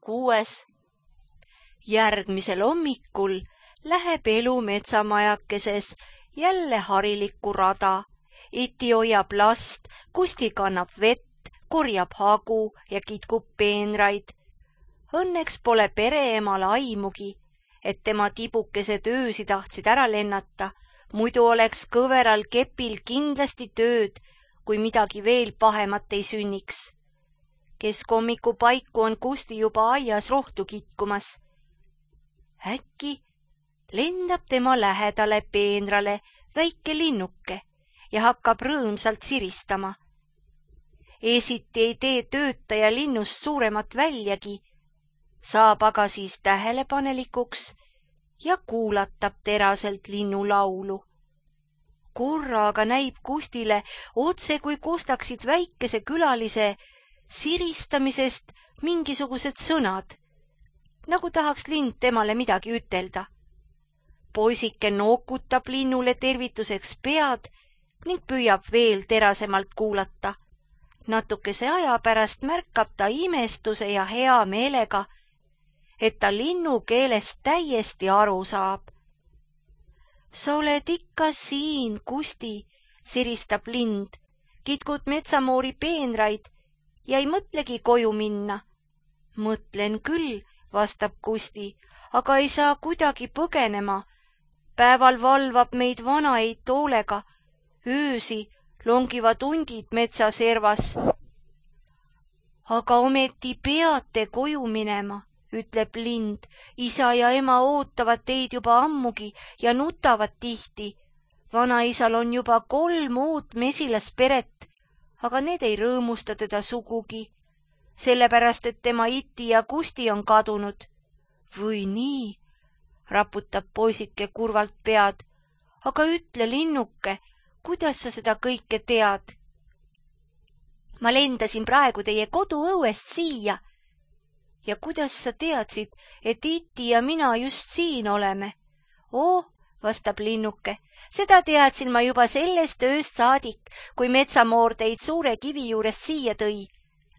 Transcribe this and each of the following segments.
6. Järgmisel hommikul läheb elu metsamajakeses jälle harilikku rada. Iti hoiab last, Kusti kannab vett, korjab hagu ja kitkub peenraid. Õnneks pole pereemal aimugi, et tema tibukesed öösi tahtsid ära lennata, muidu oleks kõveral kepil kindlasti tööd, kui midagi veel pahemat ei sünniks. Keskhommiku paiku on Kusti juba aias rohtu kitkumas. Äkki lendab tema lähedale peenrale väike linnuke ja hakkab rõõmsalt siristama. Esiti ei tee töötaja linnust suuremat väljagi, saab aga siis tähelepanelikuks ja kuulatab teraselt linnu laulu. Korraga näib Kustile otse kui kostaksid väikese külalise siristamisest mingisugused sõnad, nagu tahaks lind temale midagi ütelda. Poisike nookutab linnule tervituseks pead ning püüab veel terasemalt kuulata. Natukese aja pärast märkab ta imestuse ja hea meelega, et ta linnu keelest täiesti aru saab. Sa oled ikka siin, Kusti, siristab lind, kitkud metsamoori peenraid ja ei mõtlegi koju minna. Mõtlen küll, vastab Kusti, aga ei saa kuidagi põgenema. Päeval valvab meid vanaid hoolega, öösi longivad hundid metsaservas. Aga ometi peate koju minema, ütleb lind. Isa ja ema ootavad teid juba ammugi ja nutavad tihti. Vanaisal on juba 3 uut mesilasperet, aga need ei rõõmusta teda sugugi, sellepärast et tema Iti ja Kusti on kadunud. Või nii, raputab poisike kurvalt pead, aga ütle, linnuke, kuidas sa seda kõike tead? Ma lendasin praegu teie koduõuest siia. Ja kuidas sa teadsid, et Iti ja mina just siin oleme? Oh, vastab linnuke, seda teadsin ma juba sellest ööst saadik, kui metsamoor teid suure kivi juurest siia tõi.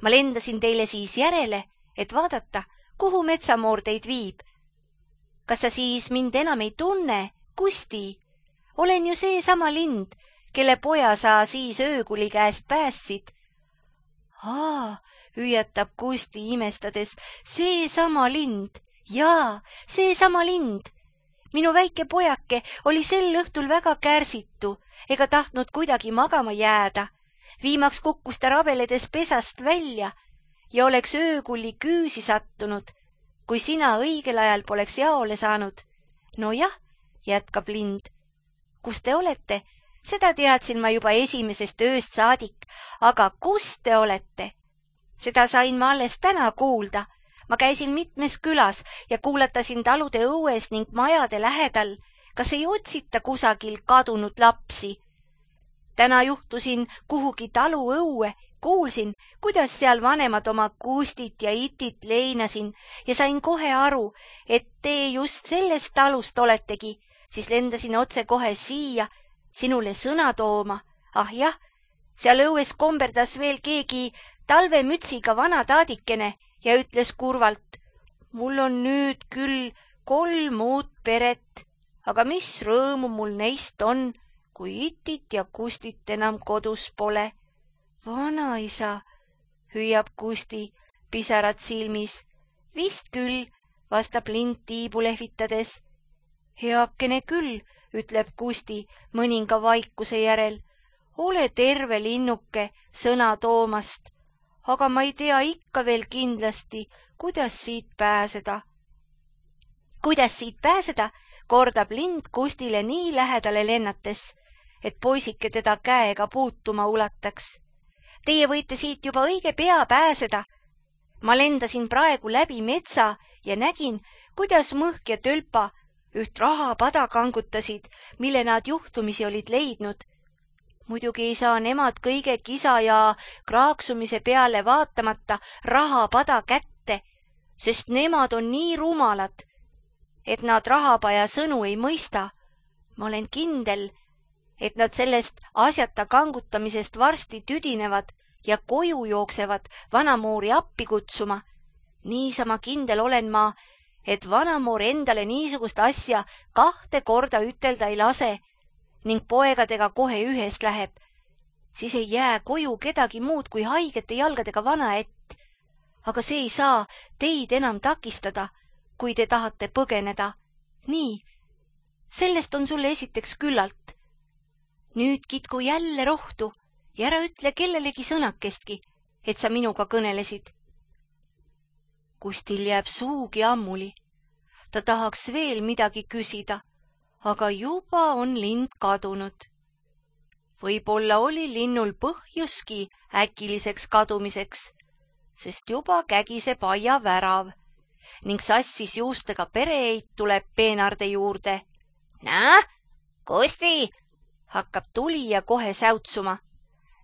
Ma lendasin teile siis järele, et vaadata, kuhu metsamoor teid viib. Kas sa siis mind enam ei tunne, Kusti? Olen ju seesama lind, kelle poja sa siis öökuli käest päästsid. Hüüatab Kusti imestades, seesama lind, jaa, seesama lind. Minu väike pojake oli sel õhtul väga kärsitu, ega tahtnud kuidagi magama jääda. Viimaks kukkus ta rabeledes pesast välja ja oleks öökulli küüsi sattunud, kui sina õigel ajal poleks jaole saanud. No jah, jätkab lind. Kus te olete? Seda teadsin ma juba esimesest ööst saadik, aga kus te olete? Seda sain ma alles täna kuulda. Ma käisin mitmes külas ja kuulatasin talude õues ning majade lähedal, kas ei otsita kusagil kadunud lapsi. Täna juhtusin kuhugi talu õue, kuulsin, kuidas seal vanemad oma Kustit ja Itit leinasin ja sain kohe aru, et te just sellest talust oletegi, siis lendasin otse kohe siia sinule sõna tooma. Ah jah, seal õues komberdas veel keegi talvemütsiga vana taadikene ja ütles kurvalt, mul on nüüd küll 3 uut peret, aga mis rõõmu mul neist on, kui Itit ja Kustit enam kodus pole. Vanaisa, hüüab Kusti, pisarad silmis. Vist küll, vastab lind tiibu lehvitades. Heakene küll, ütleb Kusti mõninga vaikuse järel. Ole terve, linnuke, sõna toomast, aga ma ei tea ikka veel kindlasti, kuidas siit pääseda. Kuidas siit pääseda, kordab lind Kustile nii lähedale lennates, et poisike teda käega puutuma ulataks. Teie võite siit juba õige pea pääseda. Ma lendasin praegu läbi metsa ja nägin, kuidas Mõhk ja Tölpa üht rahapada kangutasid, mille nad juhtumisi olid leidnud. Muidugi ei saa nemad kõige kisa ja kraaksumise peale vaatamata rahapada kätte, sest nemad on nii rumalad, et nad rahapaja sõnu ei mõista. Ma olen kindel, et nad sellest asjata kangutamisest varsti tüdinevad ja koju jooksevad vanamoori appi kutsuma. Niisama kindel olen ma, et vanamoor endale niisugust asja 2 korda ütelda ei lase ning poegadega kohe ühest läheb. Siis ei jää koju kedagi muud kui haigete jalgadega vanaett. Aga see ei saa teid enam takistada, kui te tahate põgeneda. Nii, sellest on sulle esiteks küllalt. Nüüd kitku jälle rohtu ja ära ütle kellelegi sõnakestki, et sa minuga kõnelesid. Kustil jääb suugi ammuli. Ta tahaks veel midagi küsida, aga juba on lind kadunud. Võib-olla oli linnul põhjuski äkiliseks kadumiseks, sest juba kägiseb aia värav ning sassis juustega pereeit tuleb peenarde juurde. Näe, Kusti, hakkab tulija kohe säutsuma.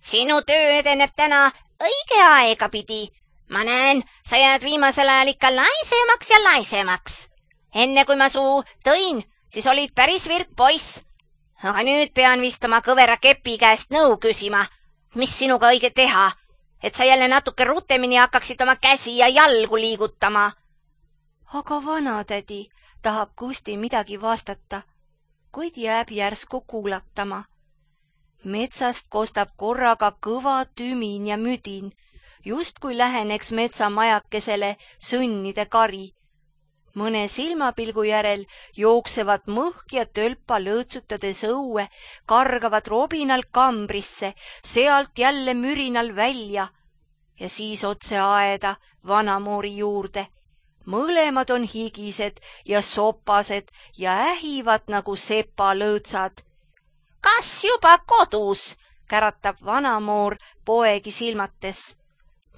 Sinu töö edeneb täna õige aega pidi. Ma näen, sa jääd viimasel ajal ikka laisemaks ja laisemaks. Enne kui ma suu tõin, siis olid päris virk poiss. Aga nüüd pean vist oma kõvera kepi käest nõu küsima, mis sinuga õige teha, et sa jälle natuke rutemini hakkaksid oma käsi ja jalgu liigutama. Aga vanatädi tahab Kusti midagi vastata, kuid jääb järsku kuulatama. Metsast kostab korraga kõva tümin ja müdin, justkui läheneks metsamajakesele sõnnide kari. Mõne silmapilgu järel jooksevad mõhk ja tölpa lõõtsutades õue, kargavad robinal kambrisse, sealt jälle mürinal välja ja siis otse aeda vanamoori juurde. Mõlemad on higised ja sopased ja ähivad nagu sepalõõtsad. Kas juba kodus? Käratab vanamoor poegi silmates.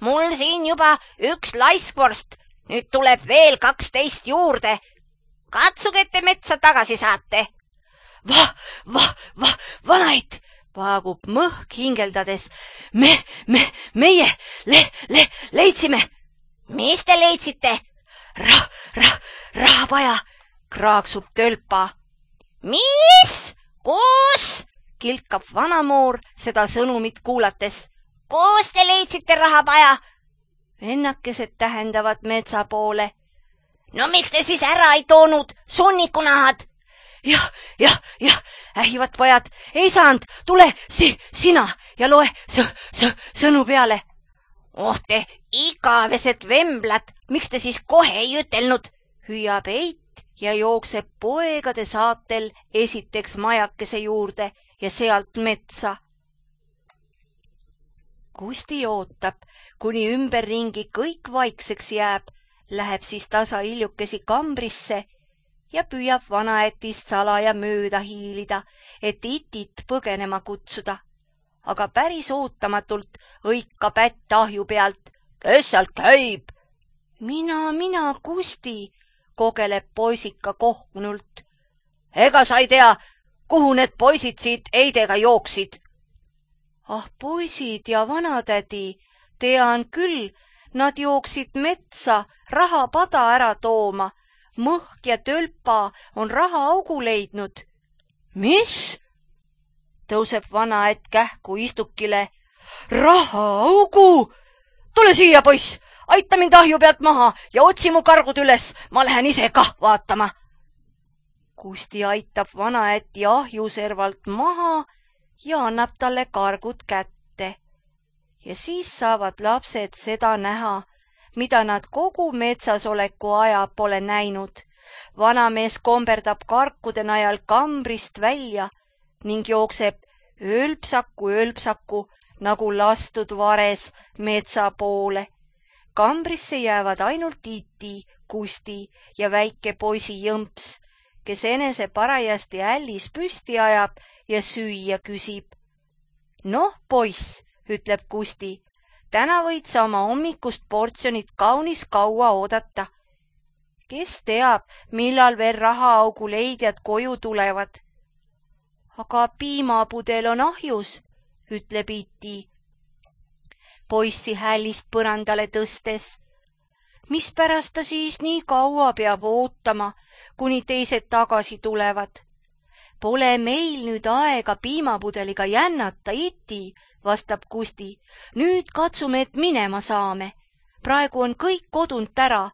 Mul siin juba 1 laiskvorst, nüüd tuleb veel 12 juurde. Katsuge, et te metsa tagasi saate. Vanaid, vaagub mõhk hingeldades. Meie leidsime. Mis te leidsite? Rahapaja, kraaksub tölpa. Mis? Kus? Kilkab vanamoor seda sõnumit kuulates. Kus te leidsite rahapaja? Ennakesed tähendavad metsa poole. No miks te siis ära ei toonud sunnikunahad? Jah, ähivad pojad, ei saanud, tule sina ja loe sõnu peale. Oh te igavesed vemblad, miks te siis kohe ei ütelnud? Hüüab eit ja jookseb poegade saatel esiteks majakese juurde ja sealt metsa. Kusti ootab, kuni ümberringi kõik vaikseks jääb, läheb siis tasa hiljukesi kambrisse ja püüab vanaetist salaja mööda hiilida, et itit põgenema kutsuda. Aga päris ootamatult õikab ätt ahju pealt. Kes sealt käib? Mina, Kusti, kogeleb poisika kohkunult. Ega sa ei tea, kuhu need poisid siit eidega jooksid? Ah, poisid ja vanatädi, tean küll, nad jooksid metsa rahapada ära tooma. Mõhk ja tölpa on rahaaugu leidnud. Mis? Tõuseb vanaett kähku istukile. Rahaaugu! Tule siia, poiss, aita mind ahju pealt maha ja otsi mu kargud üles, ma lähen ise kah vaatama. Kusti aitab vanaätti ahjuservalt maha ja annab talle kargud kätte. Ja siis saavad lapsed seda näha, mida nad kogu metsasoleku aja pole näinud. Vanamees komberdab karkude najal kambrist välja ning jookseb öölpsaku nagu lastud vares metsa poole. Kambrisse jäävad ainult Iti, Kusti ja väike poisi Jõmps, kes enese parajasti ällis püsti ajab ja süüa küsib. Noh, poiss, ütleb Kusti, täna võid sa oma hommikust portsjonit kaunis kaua oodata. Kes teab, millal veel rahaaugu leidjad koju tulevad? Aga piimapudel on ahjus, ütleb Iti. Poissi hällist põrandale tõstes. Mispärast ta siis nii kaua peab ootama, kuni teised tagasi tulevad? Pole meil nüüd aega piimapudeliga jännata, Iti, vastab Kusti. Nüüd katsume, et minema saame. praegu on kõik kodunt ära,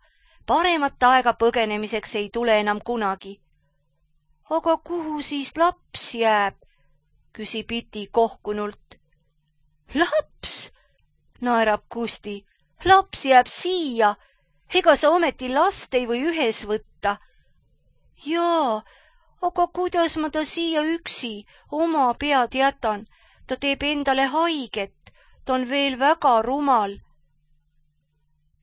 paremat aega põgenemiseks ei tule enam kunagi. Aga kuhu siis laps jääb? Küsib Iti kohkunult. Laps? Naerab Kusti. Laps jääb siia. Ega sa ometi last ei või ühes võtta. Jaa, aga kuidas ma ta siia üksi oma pead jätan? Ta teeb endale haiget. Ta on veel väga rumal.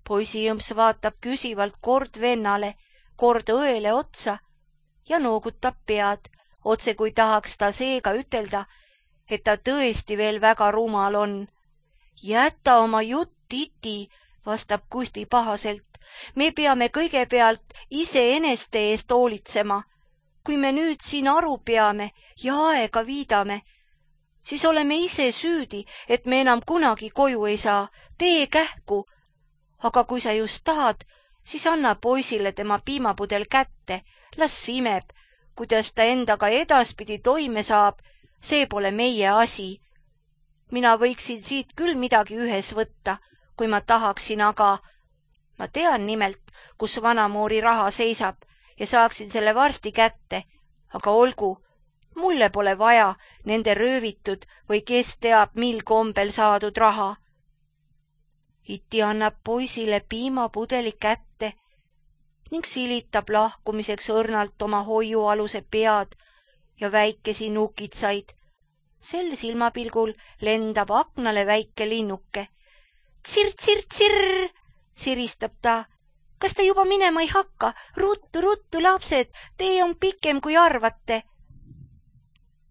Poisijõmps vaatab küsivalt kord vennale, kord õele otsa ja noogutab pead, otse kui tahaks ta seega ütelda, et ta tõesti veel väga rumal on. Jäta oma jutt, Iti, vastab Kusti pahaselt. Me peame kõigepealt iseeneste eest hoolitsema. Kui me nüüd siin aru peame ja aega viidame, siis oleme ise süüdi, et me enam kunagi koju ei saa. Tee kähku. Aga kui sa just tahad, siis anna poisile tema piimapudel kätte. Las imeb, kuidas ta endaga edaspidi toime saab. See pole meie asi. Mina võiksin siit küll midagi ühes võtta, kui ma tahaksin, aga ma tean nimelt, kus vanamoori raha seisab ja saaksin selle varsti kätte. Aga olgu, mulle pole vaja nende röövitud või kes teab, mil kombel saadud raha. Iti annab poisile piimapudeli kätte ning silitab lahkumiseks õrnalt oma hoiualuse pead ja väikesi nukitsaid. Sel silmapilgul lendab aknale väike linnuke. Tsir-tsir-tsirr, siristab ta. Kas te juba minema ei hakka? Ruttu, ruttu, lapsed, tee on pikem kui arvate.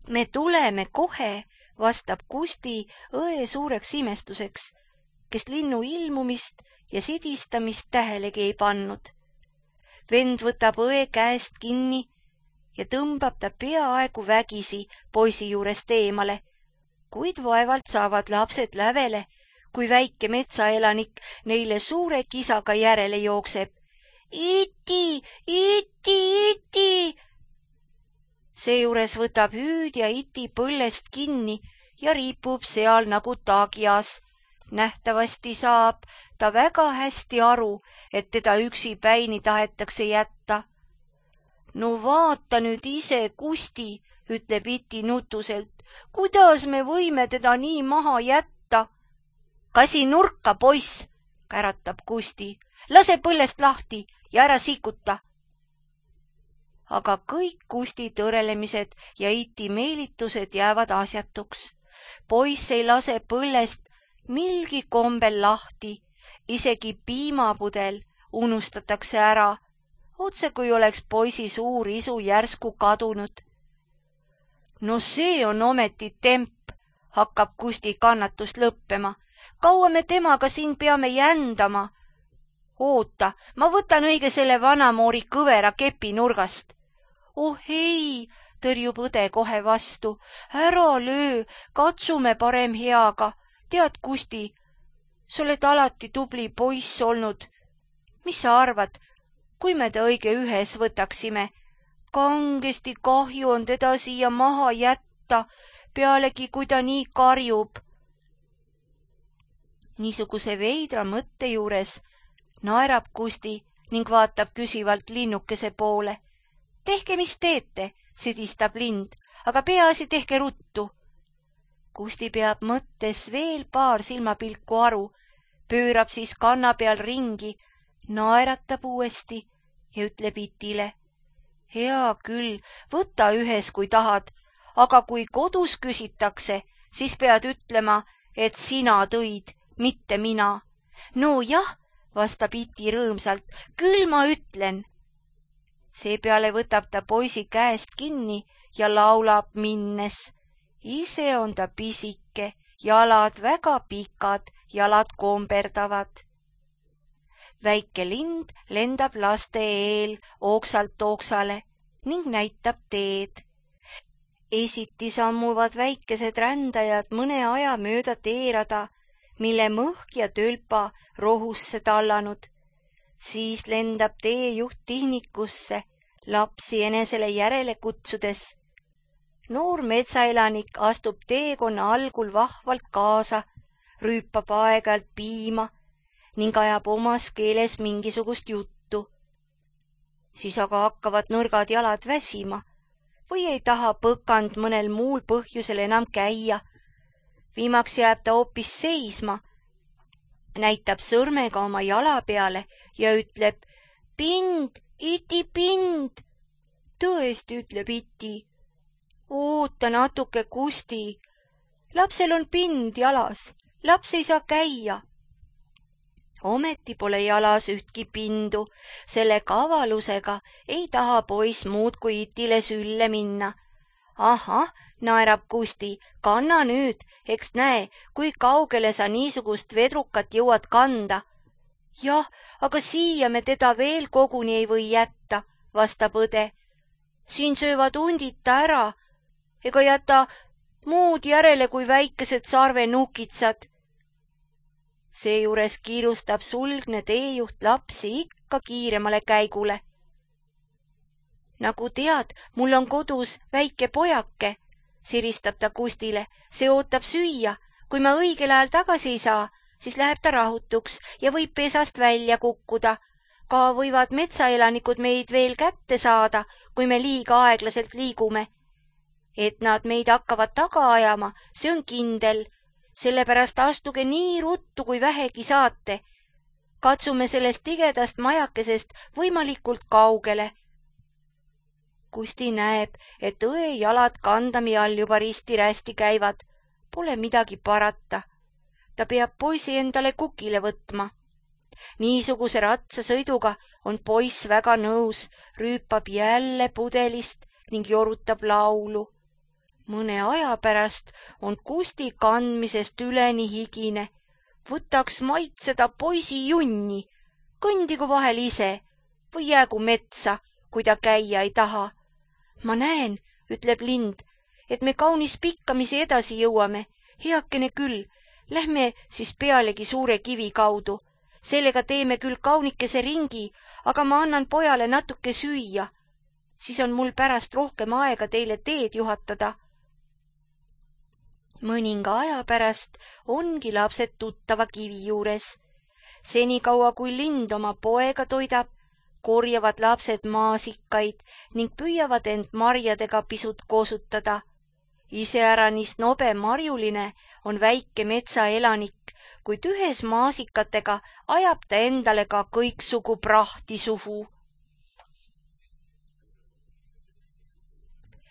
Me tuleme kohe, vastab Kusti õe suureks imestuseks, kes linnu ilmumist ja sidistamist tähelegi ei pannud. Vend võtab õe käest kinni ja tõmbab ta peaaegu vägisi poisi juurest eemale, kuid vaevalt saavad lapsed lävele, kui väike metsaelanik neile suure kisaga järele jookseb. Iti, Iti, Iti! Seejuures võtab hüüdja Iti põllest kinni ja riipub seal nagu taagias. Nähtavasti saab ta väga hästi aru, et teda üksipäini tahetakse jätta. No vaata nüüd ise, Kusti, ütleb Iti nutuselt. Kuidas me võime teda nii maha jätta? Kasi nurka, poiss, käratab Kusti. Lase põllest lahti ja ära sikuta. Aga kõik Kusti tõrelemised ja Iti meelitused jäävad asjatuks. Poiss ei lase põllest milgi kombel lahti, isegi piimapudel unustatakse ära, otse kui oleks poisi suur isu järsku kadunud. No see on ometi temp, hakkab Kusti kannatust lõppema. Kaua me temaga siin peame jändama? Oota, ma võtan õige selle vanamoori kõvera kepi nurgast. Oh ei, tõrjub õde kohe vastu. Ära löö, katsume parem heaga. Tead, Kusti, sa oled alati tubli poiss olnud. Mis sa arvad, kui me ta õige ühes võtaksime? Kangesti kahju on teda siia maha jätta, pealegi kui ta nii karjub. Niisuguse veidra mõtte juures naerab Kusti ning vaatab küsivalt linnukese poole. Tehke, mis teete, sidistab lind, aga peaasi tehke ruttu. Kusti peab mõttes veel paar silmapilku aru, pöörab siis kanna peal ringi, naeratab uuesti ja ütleb Itile. Hea küll, võta ühes, kui tahad, aga kui kodus küsitakse, siis pead ütlema, et sina tõid, mitte mina. No jah, vastab Iti rõõmsalt, küll ma ütlen. Seepeale võtab ta poisi käest kinni ja laulab minnes. Ise on ta pisike, jalad väga pikad, jalad komberdavad. Väike lind lendab laste eel ooksalt ooksale ning näitab teed. Esiti sammuvad väikesed rändajad mõne aja mööda teerada, mille mõhk ja tölpa rohusse tallanud. Siis lendab teejuht tihnikusse, lapsi enesele järele kutsudes. Noor metsaelanik astub teekonna algul vahvalt kaasa, rüüpab aeg-ajalt piima ning ajab omas keeles mingisugust juttu. Siis aga hakkavad nõrgad jalad väsima või ei taha põkand mõnel muul põhjusel enam käia. Viimaks jääb ta hoopis seisma, näitab sõrmega oma jala peale ja ütleb: pind, iti pind. Tõesti, ütleb iti. Oota natuke, Kusti. Lapsel on pind jalas, laps ei saa käia. Ometi pole jalas ühtki pindu, selle kavalusega ei taha poiss muud kui itile sülle minna. Ahah, naerab Kusti, kanna nüüd, eks näe, kui kaugele sa niisugust vedrukat jõuad kanda. Jah, aga siia me teda veel koguni ei või jätta, vastab õde. Siin söövad hundita ära, ega jäta muud järele kui väikesed sarvenukitsad. Seejuures kiirustab sulgne teejuht lapsi ikka kiiremale käigule. Nagu tead, mul on kodus väike pojake, siristab ta Kustile, see ootab süüa. Kui ma õigel ajal tagasi ei saa, siis läheb ta rahutuks ja võib pesast välja kukkuda. Ka võivad metsaelanikud meid veel kätte saada, kui me liiga aeglaselt liigume. Et nad meid hakkavad taga ajama, see on kindel. Sellepärast astuge nii ruttu, kui vähegi saate. Katsume sellest tigedast majakesest võimalikult kaugele. Kusti näeb, et õe jalad kandami all juba risti-rästi käivad. Pole midagi parata. Ta peab poisi endale kukile võtma. Niisuguse ratsasõiduga on poiss väga nõus, rüüpab jälle pudelist ning jorutab laulu. Mõne aja pärast on Kusti kandmisest üleni higine. Võtaks maitseda poisi junni, kõndigu vahel ise või jäägu metsa, kui ta käia ei taha. Ma näen, ütleb lind, et me kaunis pikkamisi edasi jõuame. Heakene küll, lähme siis pealegi suure kivi kaudu. Sellega teeme küll kaunikese ringi, aga ma annan pojale natuke süüa. Siis on mul pärast rohkem aega teile teed juhatada. Mõninga aja pärast ongi lapsed tuttava kivi juures. Senikaua kui lind oma poega toidab, korjavad lapsed maasikaid ning püüavad end marjadega pisut koosutada. Iseäranis nobe marjuline on väike metsaelanik, kuid ühes maasikatega ajab ta endale ka kõiksugu prahti suhu.